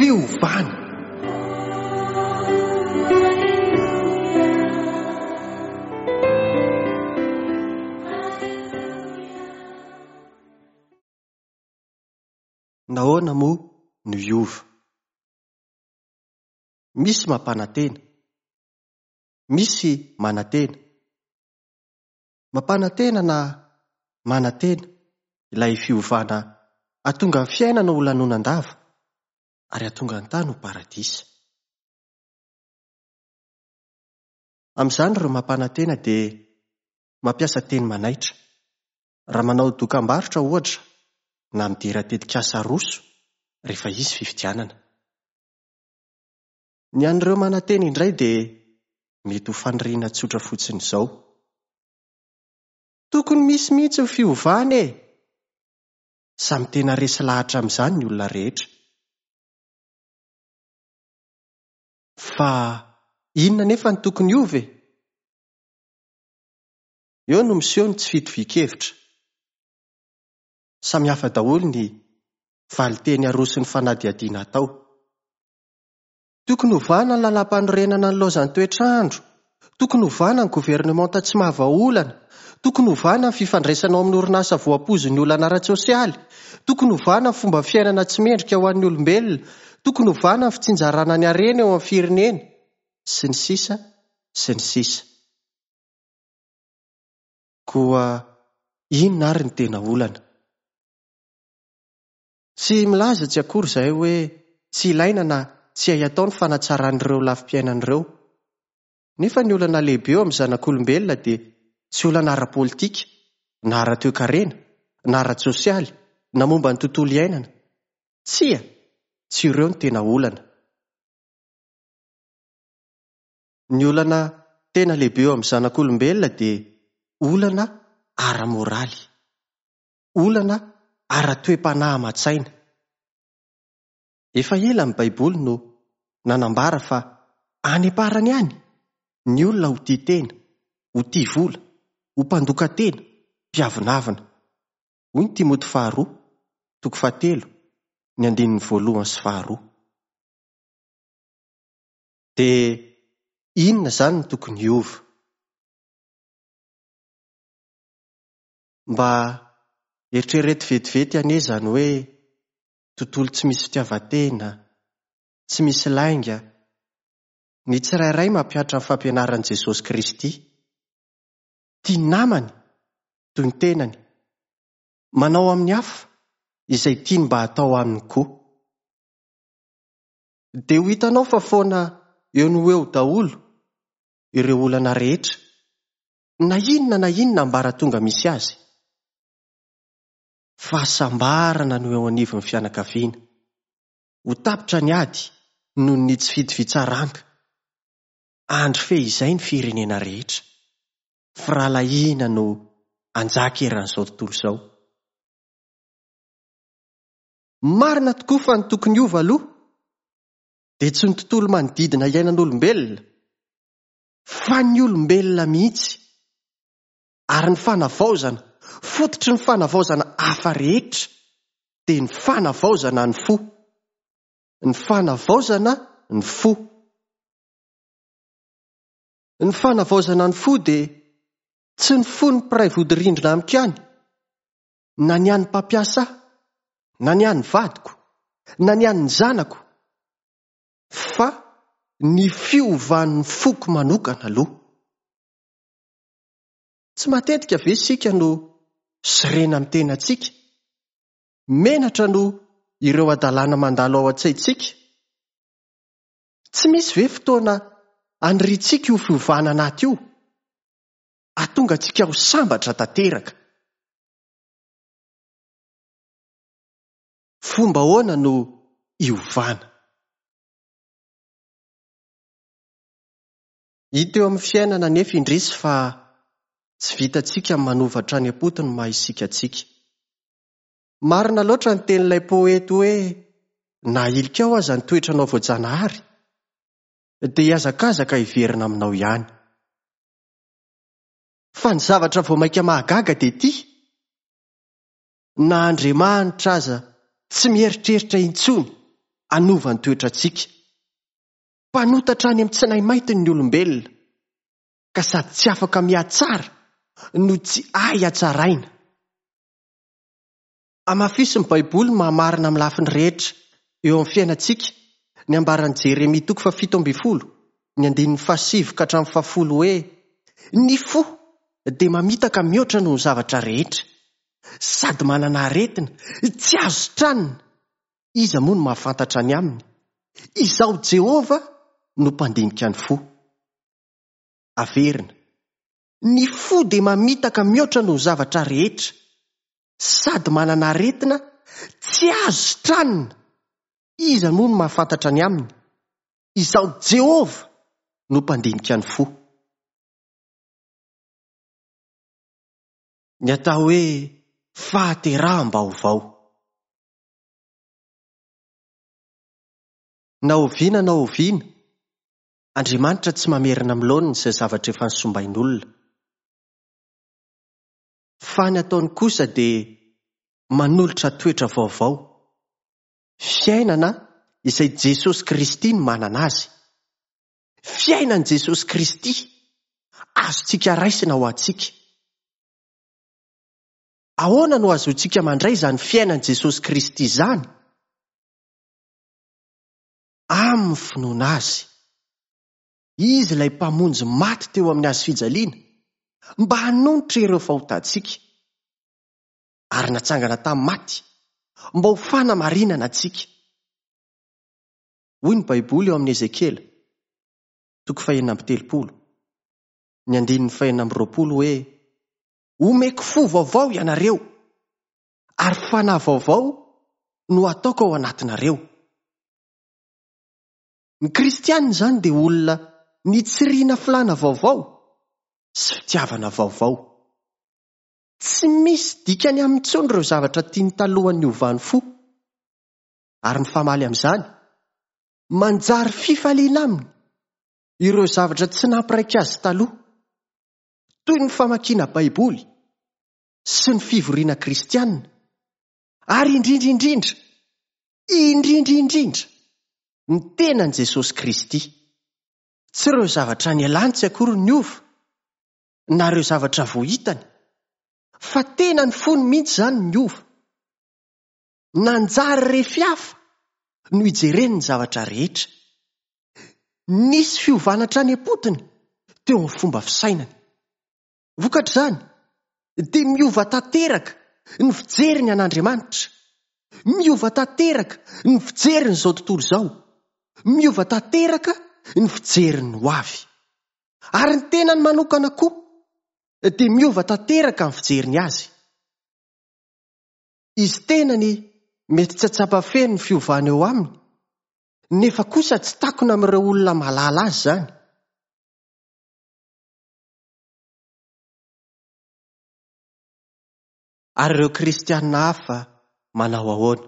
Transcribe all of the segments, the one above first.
Fiovana! Nahoana moa no hiova? Misy mampanantena. Misy manantena. Mampanantena na manantena ilay fiovana hahatonga ny fiainana ho lanonan-dava ary hahatonga ny tany ho paradisa. Amin'izany ireo mampanantena dia mampiasa teny manaitra. Raha manao dokam-barotra ohatra na midera tetikasa aroso rehefa hisy fifidianana. Ny an'ireo manantena indray dia mety ho faniriana tsotra fotsiny izao. Tokony misy mihitsy ny fiovana e! Samy tena resy lahatra amin'izany ny olona rehetra. Fa inona anefa no tokony hiova e? Eo no miseho ny tsy fitovian-kevitra. Samy hafa daholo ny valinteny aroson'ny fanadihadiana atao. Tokony hovana ny lalàmpanorenana nilaozan'ny toetr'andro, tokony hovana ny governemanta tsy mahavaolana, tokony hovana ny fifandraisana ao amin'ny orinasa voapoizin'ny olana ara-tsosialy, tokony hovana ny fomba fiainana tsy mendrika ho an'ny olombelona, tokony hovana ny fitsinjarana ny harena eo amin'ny firenena, sy ny sisa sy ny sisa. Koa inona ary ny tena olana? Tsy milaza tsy akory izahay hoe tsy ilaina na tsy hay atao ny fanatsarana ireo lafim-piainana ireo. Nefa ny olana lehibe eo amin'ny zanak'olombelona dia tsy olana ara-politika, na ara-toekarena, na ara-tsosialy, na momba ny tontolo iainana. Tsia, tsy ireo no tena olana. Ny olana tena lehibe eo amin'ny zanak'olombelona dia olana ara-moraly. Olana ara-toe-panahy aman-tsaina. Efa ela ny Baiboly no nanambara fa any am-parany any, ny olona ho tia tena, ho tia vola, ho mpandoka tena, mpiavonavona. Hoy ny Timoty faharoa, toko fahatelo, ny andininy voalohany sy faharoa. Dia inona izany no tokony hiova? Mba eritrereto vetivety anie izany hoe tontolo tsy misy fitiavan-tena, tsy misy lainga, ny tsirairay mampihatra ny fampianaran'i Jesosy Kristy. Tia ny namany toy ny tenany. Manao amin'ny hafa izay tiany mba hatao aminy koa. Dia ho hitanao fa foana eo no ho eo daholo ireo olana rehetra na inona na inona ambaratonga misy azy. Fahasambarana no eo anivon'ny fianakaviana. Ho tapitra ny ady noho ny tsy fitovian-tsaranga. Andry fehizay ny firenena rehetra. Firahalahiana no hanjaka eran'izao tontolo izao. Marina tokoa fa ny tokony hiova aloha dia tsy ny tontolo manodidina iainan'olombelona fa ny olombelona mihitsy ary ny fanavaozana, fototry ny fanavaozana hafa rehetra dia ny fanavaozana ny fo. Ny fanavaozana ny fo. Ny fanavaozana ny fo dia tsy ny fon'ny mpiray vodirindrina amiko ihany, na ny an'ny mpampiasa ahy, na ny an'ny vadiko, na ny an'ny zanako, fa ny fiovan'ny foko manokana aloha. Tsy matetika ve isika no sorena amin'ny tenantsika, menatra noho ireo hadalana mandalo ao an-tsaintsika? Tsy misy ve fotoana aniriantsika io fiovana anaty io, hahatonga antsika ho sambatra tanteraka? Fomba ahoana no hiovana? Hita eo amin'ny fiainana anefa indrisy fa tsy vitantsika ny manova hatrany am-potony ny maha isika antsika. Marina loatra ny tenin'ilay poety hoe na ahilikao aza ny toetranao voajanahary dia hihazakazaka hiverina aminao ihany. Fa ny zavatra vao mainka mahagaga dia ity, na Andriamanitra aza tsy mieritreritra intsony hanova ny toetrantsika. Mpanota hatrany amin'ny tsinay maitiny ny olombelona, ka sady tsy afaka mihatsara no tsy hay hatsaraina. Hamafisin'ny Baiboly ny maha-marina amin'ny lafiny rehetra eo amin'ny fiainantsika ny ambaran'i Jeremia toko fahafito ambin'ny folo, ny andininy fahasivy ka hatramin'ny fahafolo hoe, Ny fo dia mamitaka mihoatra noho ny zavatra rehetra, sady manana aretina tsy azo sitranina, iza moa no mahafantatra ny aminy? Izaho Jehovah no mpandinika ny fo. Averina. Ny fo dia mamitaka mihoatra noho ny zavatra rehetra, sady manana aretina tsy azo sitranina, iza moa no mahafantatra ny aminy? Izaho Jehovah no mpandinika ny fo. Ny atao hoe fahateraham-baovao. Na oviana na oviana, Andriamanitra tsy mamerina amin'ny laoniny izay zavatra efa nosombain'olona. Fa ny ataony kosa dia manolotra toetra vaovao, fiainana izay Jesosy Kristy no manana azy. Fiainan'i Jesosy Kristy azontsika raisina ho antsika. Ahoana no azontsika mandray izany fiainan'i Jesosy Kristy izany? Amin'ny finoana Azy. Izy ilay Mpamonjy maty teo amin'ny hazo fijaliana mba hanonitra ireo fahotantsika, ary natsangana tamin'ny maty mba ho fanamarinana antsika. Hoy ny Baiboly ao amin'ny Ezekiela, toko fahenina amby telopolo, ny andininy fahenina amby roapolo hoe, Omeko fo vaovao ianareo, ary fanahy vaovao no hataoko ao anatinareo. Ny kristiana izany dia olona nitsiriana filàna vaovao sy fitiavana vaovao. Tsy misy dikany aminy intsony ireo zavatra tiany talohan'ny niovany fo. Ary mifamaly amin'izany, manjary fifaliana aminy ireo zavatra tsy nampiraika azy taloha, toy ny famakiana Baiboly sy ny fivoriana kristiana, ary indrindra indrindra, indrindra indrindra, ny tenan'i Jesosy Kristy. Tsy ireo zavatra nialany tsy akory no niova, na ireo zavatra vao hitany, fa tena ny fony mihitsy izany no niova. Nanjary refy hafa no ijereny ny zavatra rehetra. Nisy fiovana hatrany am-potony teo amin'ny fomba fisainany. Vokatr'izany, dia miova tanteraka ny fijeriny an'Andriamanitra, miova tanteraka ny fijeriny izao tontolo izao, miova tanteraka ny fijeriny ny hoavy. Ary ny tenany manokana koa dia miova tanteraka ny fijeriny azy. Izy tenany mety tsy hahatsapa feno ny fiovana eo aminy, nefa kosa tsy takona amin'ireo olona mahalala azy izany. Ary ireo kristiana hafa manao ahoana?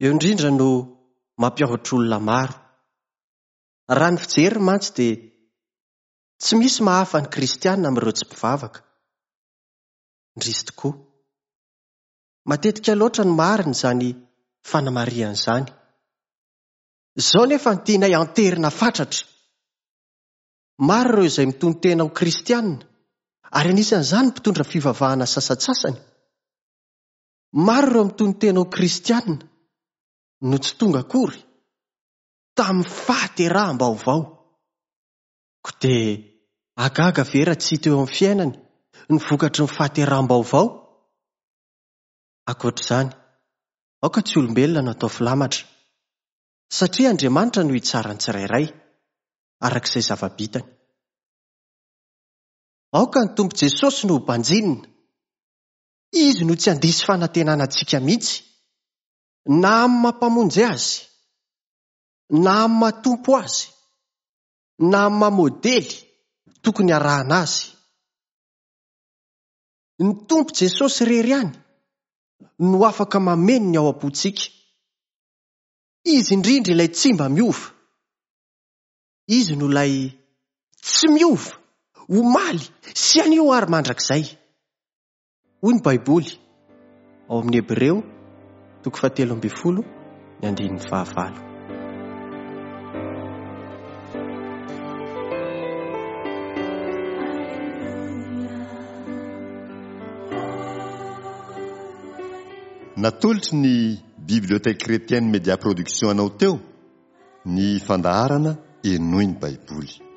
Eo indrindra no mampiahotra olona maro. Raha ny fijeriny mantsy dia tsy misy mahafa ny kristiana amin'ireo tsy mpivavaka. Indrisy tokoa. Matetika loatra no marina izany fanamarihana izany. Izao nefa no tianay anterina fatratra. Maro ireo izay mitono-tena ho kristiana, ary anisan'izany ny mpitondra fivavahana sasantsasany. Maro ireo mitono-tena ho kristiana no tsy tonga akory tamin'ny fahateraham-baovao. Koa dia hahagaga ve raha tsy hita eo amin'ny fiainany ny vokatry ny fahateraham-baovao? Ankoatra izany, aoka tsy olombelona no atao filamatra, satria Andriamanitra no hitsara ny tsirairay, araka izay zava-bitany. Aoka ny Tompo Jesosy no ho banjinina. Izy no tsy handiso fanantenana antsika mihitsy, na amin'ny maha Mpamonjy Azy, na amin'ny maha Tompo Azy, na amin'ny maha modely tokony harahana Azy. Ny Tompo Jesosy irery ihany no afaka mameno ny ao am-pontsika. Izy indrindra ilay tsy mba miova. Izy no ilay tsy miova, omaly sy anio ary mandrakizay. Hoy ny Baiboly ao amin'ny Hebreo toko fahatelo ambin'ny folo, ny andininy fahavalo. Natolotry ny Bibliothèque Chrétienne Média Production anao teo ny fandaharana Henoy ny Baiboly.